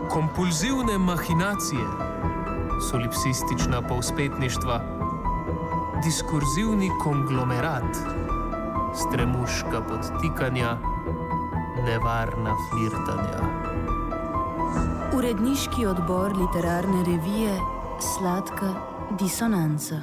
Kompulzivne mahinacije, solipsistična povspetništva, diskurzivni konglomerat, stremuška podtikanja, nevarna flirtanja. Uredniški odbor literarne revije Sladka disonanca.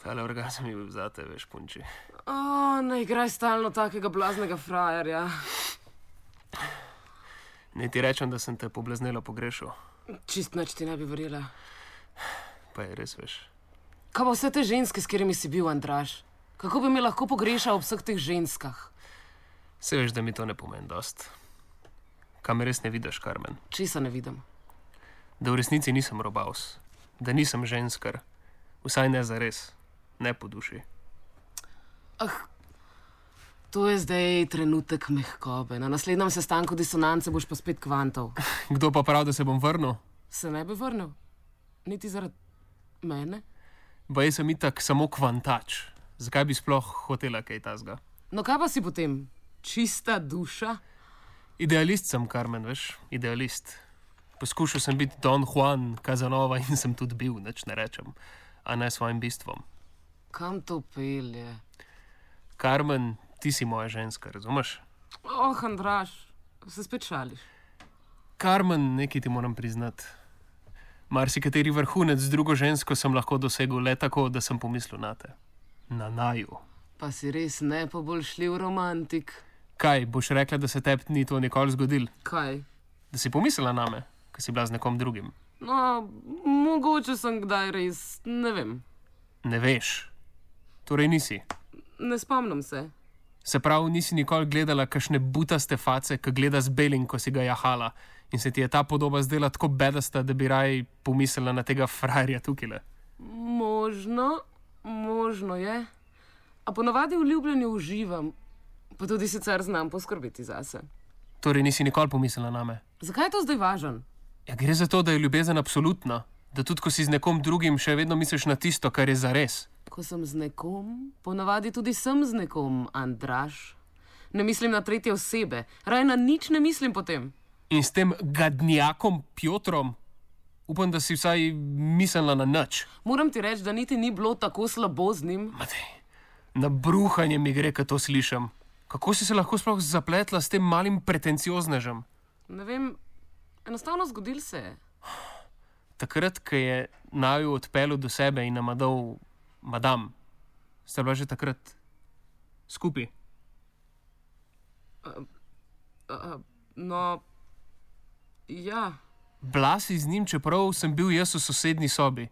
Tale orgazem je bil zate, veš, punči. Ne igraj stalno takega blaznega frajerja. Ne ti rečem, da sem te poblaznelo pogrešal. Čist nič ti ne bi verjela. Pa je res, veš. Kaj pa vse te ženske, s katerimi si bil, Andraž? Kako bi me lahko pogrešal ob vseh teh ženskah? Se veš, da mi to ne pomeni dost. Kaj me res ne vidiš, Carmen? Česa ne vidim? Da v resnici nisem robavs. Da nisem ženskar. Vsaj ne zares. Ne po duši. To je zdaj trenutek mehkobe. Na naslednjem sestanku disonance boš pa spet kvantov. Kdo pa prav, da se bom vrnil? Se ne bi vrnil? Niti zaradi mene? Baj sem itak samo kvantač. Zakaj bi sploh hotela kaj tazga? No kaj pa si potem? Čista duša? Idealist sem, Carmen, veš? Idealist. Poskušal sem biti Don Juan Casanova in sem tudi bil, nič ne rečem. A ne svojim bistvom. Kam to pelje? Carmen, ti si moja ženska, razumeš? Andraž, se spet šališ. Carmen, nekaj ti moram priznati. Marsikateri vrhunec z drugo žensko sem lahko dosegel le tako, da sem pomislil na te. Na naju. Pa si res nepoboljšljiv romantik. Kaj, boš rekla, da se tebi ni to nikoli zgodil? Kaj? Da si pomislila name, ko si bila z nekom drugim? No, mogoče sem kdaj res, ne vem. Ne veš. Torej nisi. Ne spomnim se. Se pravi, nisi nikoli gledala kakšne butaste face, ki gleda z belim, ko si ga jahala in se ti je ta podoba zdela tako bedasta, da bi raj pomislila na tega frajerja tukile? Možno je. A ponavadi v ljubljenju uživam, pa tudi sicer znam poskrbeti zase. Torej nisi nikoli pomislila name? Zakaj je to zdaj važen? Ja, gre za to, da je ljubezen absolutna. Da tudi, ko si z nekom drugim, še vedno misliš na tisto, kar je zares. Ko sem z nekom, ponavadi tudi sem z nekom, Andraž. Ne mislim na tretje osebe, raj na nič ne mislim potem. In s tem gadnjakom Piotrom? Upam, da si vsaj mislila na nič. Moram ti reči, da niti ni bilo tako slabo z njim. Matej, na bruhanje mi gre, ko to slišim. Kako si se lahko sploh zapletla s tem malim pretencioznežem? Ne vem, enostavno zgodil se je. Takrat, ko je naju odpeljal do sebe in nama dal madam, ste bila že takrat skupaj? No, ja. Bila si z njim, čeprav sem bil jaz v sosednji sobi.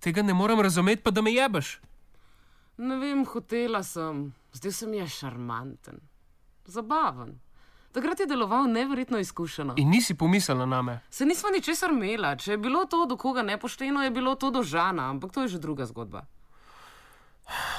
Tega ne morem razumeti, pa da me jebeš. Ne vem, hotela sem. Zdaj se mi je šarmanten. Zabaven. Takrat je deloval neverjetno izkušeno. In nisi pomislila name? Se nisva ničesar imela. Če je bilo to do koga nepošteno, je bilo to do Žana, ampak to je že druga zgodba.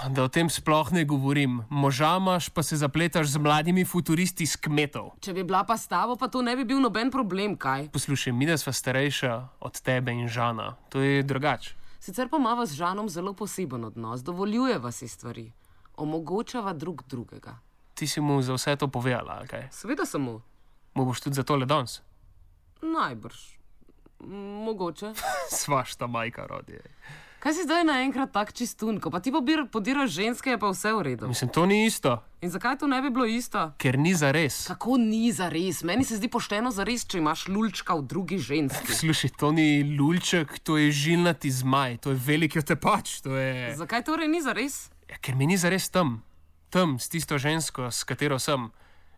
Da o tem sploh ne govorim. Moža imaš, pa se zapletaš z mladimi futuristi iz kmetov. Če bi bila pa s tabo, pa to ne bi bil noben problem, kaj? Poslušaj, mi da sva starejša od tebe in Žana. To je drugače. Sicer pa imava z Žanom zelo poseben odnos. Dovoljujeva si stvari. Omogočava drug drugega. Ti si mu za vse to povedala, ali kaj? Seveda sem mu. Mu boš tudi za tole danes? Najbrž. Mogoče. Svašta majka rodi. Kaj si zdaj naenkrat tak čistun? Ko pa ti podiraš ženske, je pa vse v redu. Mislim, to ni isto. In zakaj to ne bi bilo isto? Ker ni zares. Kako ni zares? Meni se zdi pošteno zares, če imaš lulčka v drugi ženski. Slušaj, to ni lulček, to je žilnati zmaj, to je veliki otepač, to je... Zakaj torej ni zares? Ja, ker mi ni zares tam. Tam, s tisto žensko, s katero sem.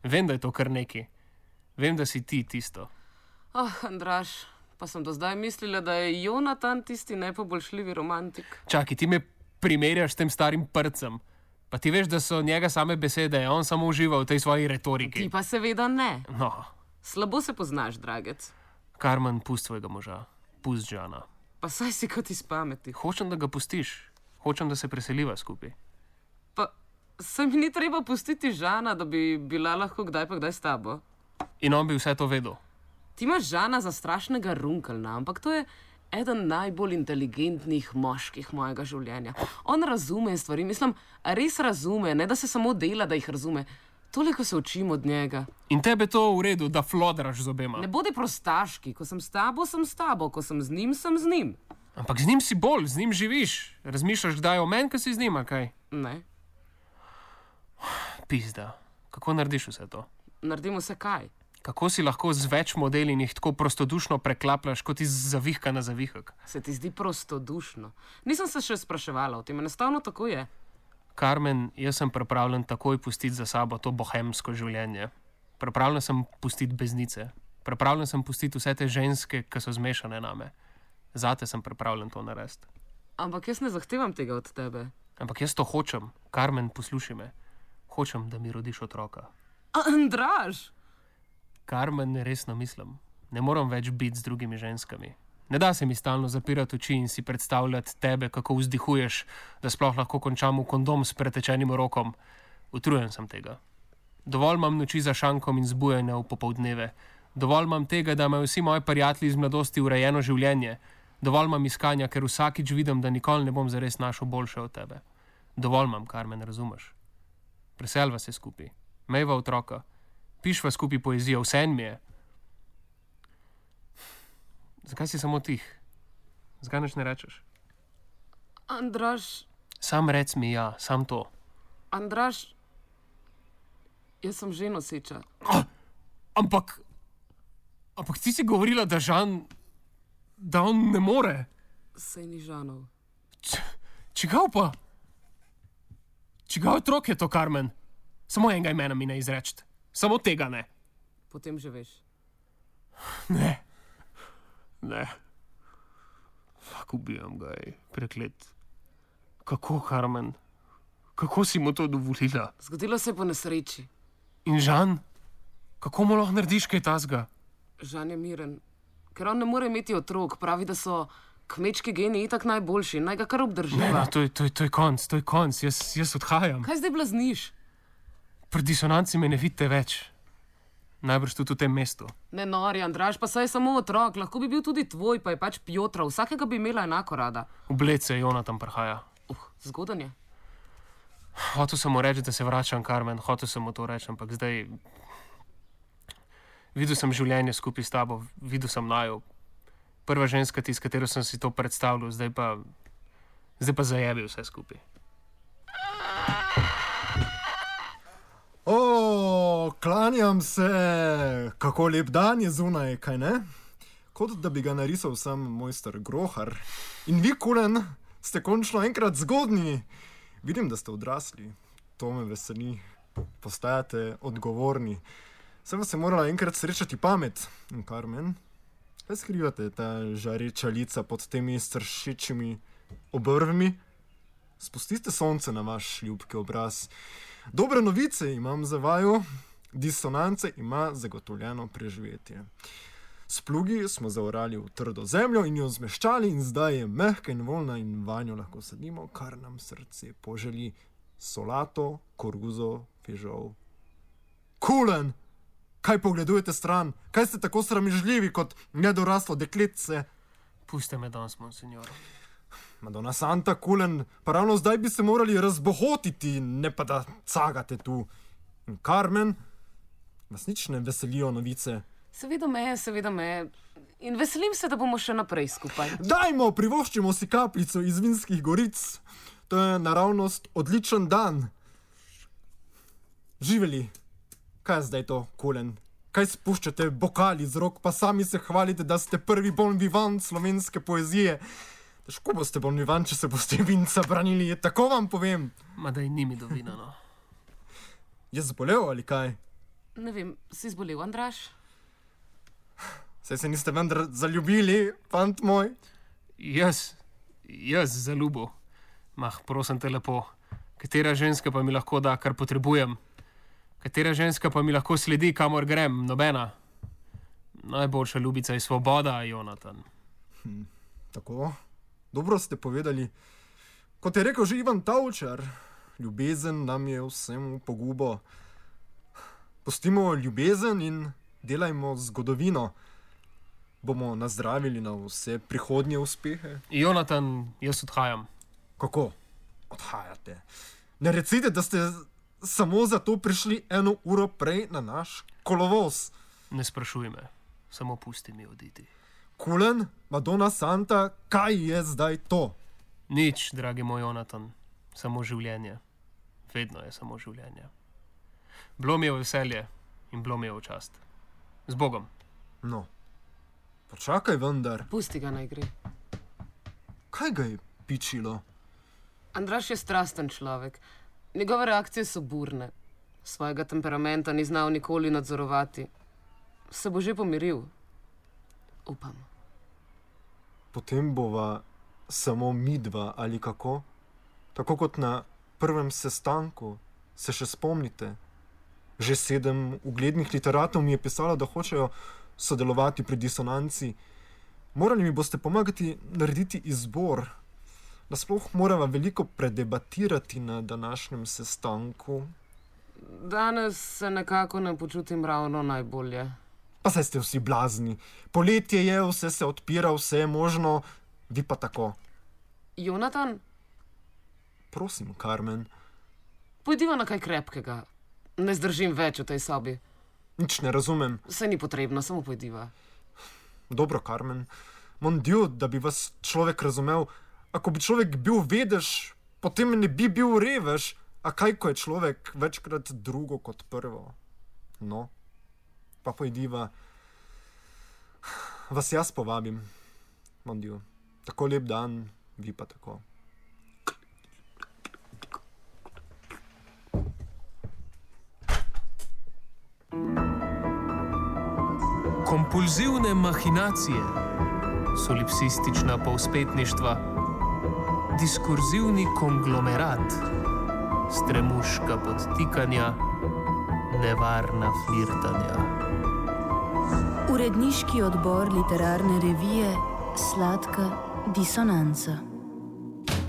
Vem, da je to kar neki. Vem, da si ti tisto. Andraž, pa sem do zdaj mislila, da je Jonatan tisti nepoboljšljivi romantik. Čakaj, ti me primerjaš s tem starim prcem. Pa ti veš, da so njega same besede, on samo uživa v tej svoji retoriki. Ti pa seveda ne. No. Slabo se poznaš, dragec. Carmen, pust svojega moža. Pust Žana. Pa saj si kot iz pameti. Hočem, da ga pustiš. Hočem, da se preseliva skupaj. Pa se mi ni treba pustiti Žana, da bi bila lahko kdaj pa kdaj s tabo. In on bi vse to vedel. Ti imaš Žana za strašnega runkelna, ampak to je eden najbolj inteligentnih moških mojega življenja. On razume stvari, mislim, res razume, ne da se samo dela, da jih razume. Toliko se učim od njega. In tebe to v redu, da flodraš z obema. Ne bodi prostaški, ko sem s tabo, ko sem z njim, sem z njim. Ampak z njim si bolj, z njim živiš. Razmišljaš kdaj o meni, ko si z njim, kaj? Ne, Pizda. Kako narediš vse to? naredimo se kaj. Kako si lahko z več modeli in jih tako prostodušno preklapljaš kot iz zavihka na zavihek? Se ti zdi prostodušno? Nisem se še spraševala o tem, enostavno tako je. Carmen, jaz sem pripravljen takoj pustiti za sabo to bohemsko življenje. Pripravljen sem pustiti beznice. Pripravljen sem pustiti vse te ženske, ki so zmešane name. Zate sem pripravljen to narediti. Ampak jaz ne zahtevam tega od tebe. Ampak jaz to hočem. Carmen, poslušaj me. Hočem, da mi rodiš otroka. Andraž! Carmen, resno mislim. Ne moram več biti z drugimi ženskami. Ne da se mi stalno zapirati oči in si predstavljati tebe, kako vzdihuješ, da sploh lahko končam v kondom s pretečenim rokom. Utrujen sem tega. Dovolj imam noči za šankom in zbujanja v popoldneve. Dovolj imam tega, da imajo vsi moji prijatelji iz mladosti urejeno življenje. Dovolj imam iskanja, ker vsakič vidim, da nikoli ne bom zares našel boljše od tebe. Dovolj imam, Carmen, razumeš? Preselva se skupaj. Mejva otroka. Pišva skupaj poezijo, vse en mi je. Zakaj si samo tih? Zakaj nič ne rečeš? Andraž, Sam rec mi ja, sam to. Andraž, jaz sem že noseča. Ampak ti si govorila, da Žan, da on ne more. Sej ni Žanov. Čigav pa? Čigav otrok je to, Carmen? Samo enega imena mi ne izreči. Samo tega ne. Potem že veš. Ne. Ne. Fak, ubijam ga, preklet. Kako, Carmen? Kako si mu to dovolila? Zgodilo se je po nesreči. In Žan? Kako mu lahko narediš kaj tasga? Žan je miren. Ker on ne more imeti otrok, pravi, da so kmečki geni itak najboljši, naj ga kar obdrživa. To je konc, jaz odhajam. Kaj zdaj blazniš? Pri disonanci me ne vidite več. Najbrž tudi v tem mestu. Ne nori, Andraž, pa saj je samo otrok, lahko bi bil tudi tvoj, pa je pač Pjotra, vsakega bi imela enako rada. V Bled se Jonatan prihaja. Zgodan je. Hotel sem mu reči, da se vračam, Carmen, hotel sem mu to reči, ampak zdaj... Videl sem življenje skupaj s tabo, videl sem naju. Prva ženska ti, s katero sem si to predstavljal, zdaj pa zajebil vse skupaj. Klanjam se, kako lep dan je zunaj, kaj ne? Kot da bi ga narisal sam mojster Grohar. In vi, Kulen, ste končno enkrat zgodni. Vidim, da ste odrasli, to me veseli. Postajate odgovorni. Sem se morala enkrat srečati pamet. In Carmen, kaj skrivate ta žareča lica pod temi stršečimi obrvmi? Spustite sonce na vaš ljubki obraz. Dobre novice imam za vaju. Disonance ima zagotovljeno preživetje. S plugi smo zaorali v trdo zemljo in jo zmeščali in zdaj je mehka in voljna in vanjo lahko sadimo, kar nam srce poželi. Solato, koruzo, fižol. Kulen! Kaj pogledujete stran? Kaj ste tako sramežljivi kot nedoraslo dekletce? Puste me danes, monsignor. Madonna Santa, Kulen, pa ravno zdaj bi se morali razbohotiti, ne pa da cagate tu. In Carmen, vas nič ne veselijo novice? Seveda me. In veselim se, da bomo še naprej skupaj. Dajmo, privoščimo si kapljico iz Vinskih goric. To je naravnost odličen dan. Živeli. Kaj je zdaj to, Kulen? Kaj spuščate bokali z rok, pa sami se hvalite, da ste prvi bon vivant slovenske poezije? Težko boste bon vivant, če se boste vinca branili, tako vam povem. Ma da je nimi do vina, no. Je zbolel ali kaj? Ne vem, si zbolel, Andraž? Saj se niste vendar zaljubili, fant moj? Jaz zaljubil. Mah, prosim te lepo. Katera ženska pa mi lahko da, kar potrebujem? Katera ženska pa mi lahko sledi, kamor grem? Nobena. Najboljša ljubica je svoboda, Jonatan. Tako, dobro ste povedali. Kot je rekel že Ivan Tavčar, ljubezen nam je vsem pogubo. Pustimo ljubezen in delajmo zgodovino. Bomo nazdravili na vse prihodnje uspehe. Jonatan, jaz odhajam. Kako? Odhajate. Ne recite, da ste samo zato prišli 1 uro prej na naš kolovoz. Ne sprašuj me, samo pusti mi oditi. Kulen, Madonna Santa, kaj je zdaj to? Nič, dragi moj Jonatan, samo življenje. Vedno je samo življenje. Bilo mi je veselje in bilo mi je v čast. Z Bogom. No, počakaj vendar. Pusti ga naj gre. Kaj ga je pičilo? Andraž je strasten človek. Njegove reakcije so burne. Svojega temperamenta ni znal nikoli nadzorovati. Se bo že pomiril. Upam. Potem bova samo midva ali kako? Tako kot na prvem sestanku. Se še spomnite? Že 7 uglednih literatov mi je pisalo, da hočejo sodelovati pri Disonanci. Morali mi boste pomagati narediti izbor. Nasploh morava veliko predebatirati na današnjem sestanku. Danes se nekako ne počutim ravno najbolje. Pa saj ste vsi blazni. Poletje je, vse se odpira, vse je možno, vi pa tako. Jonatan, Prosim, Carmen, pojdiva na kaj krepkega. Ne zdržim več v tej sobi. nič ne razumem. Saj ni potrebno, samo pojdiva. Dobro, Carmen, mon Dieu, da bi vas človek razumel. Ako bi človek bil vedež, potem ne bi bil revež. A kaj, ko je človek večkrat drugo kot prvo? No, pa pojdiva. Vas jaz povabim, mon Dieu. Tako lep dan, vi pa tako. Kompulzivne mahinacije, solipsistična povzpetništva, diskurzivni konglomerat, stremuška podtikanja, nevarna flirtanja. Uredniški odbor literarne revije Sladka disonanca.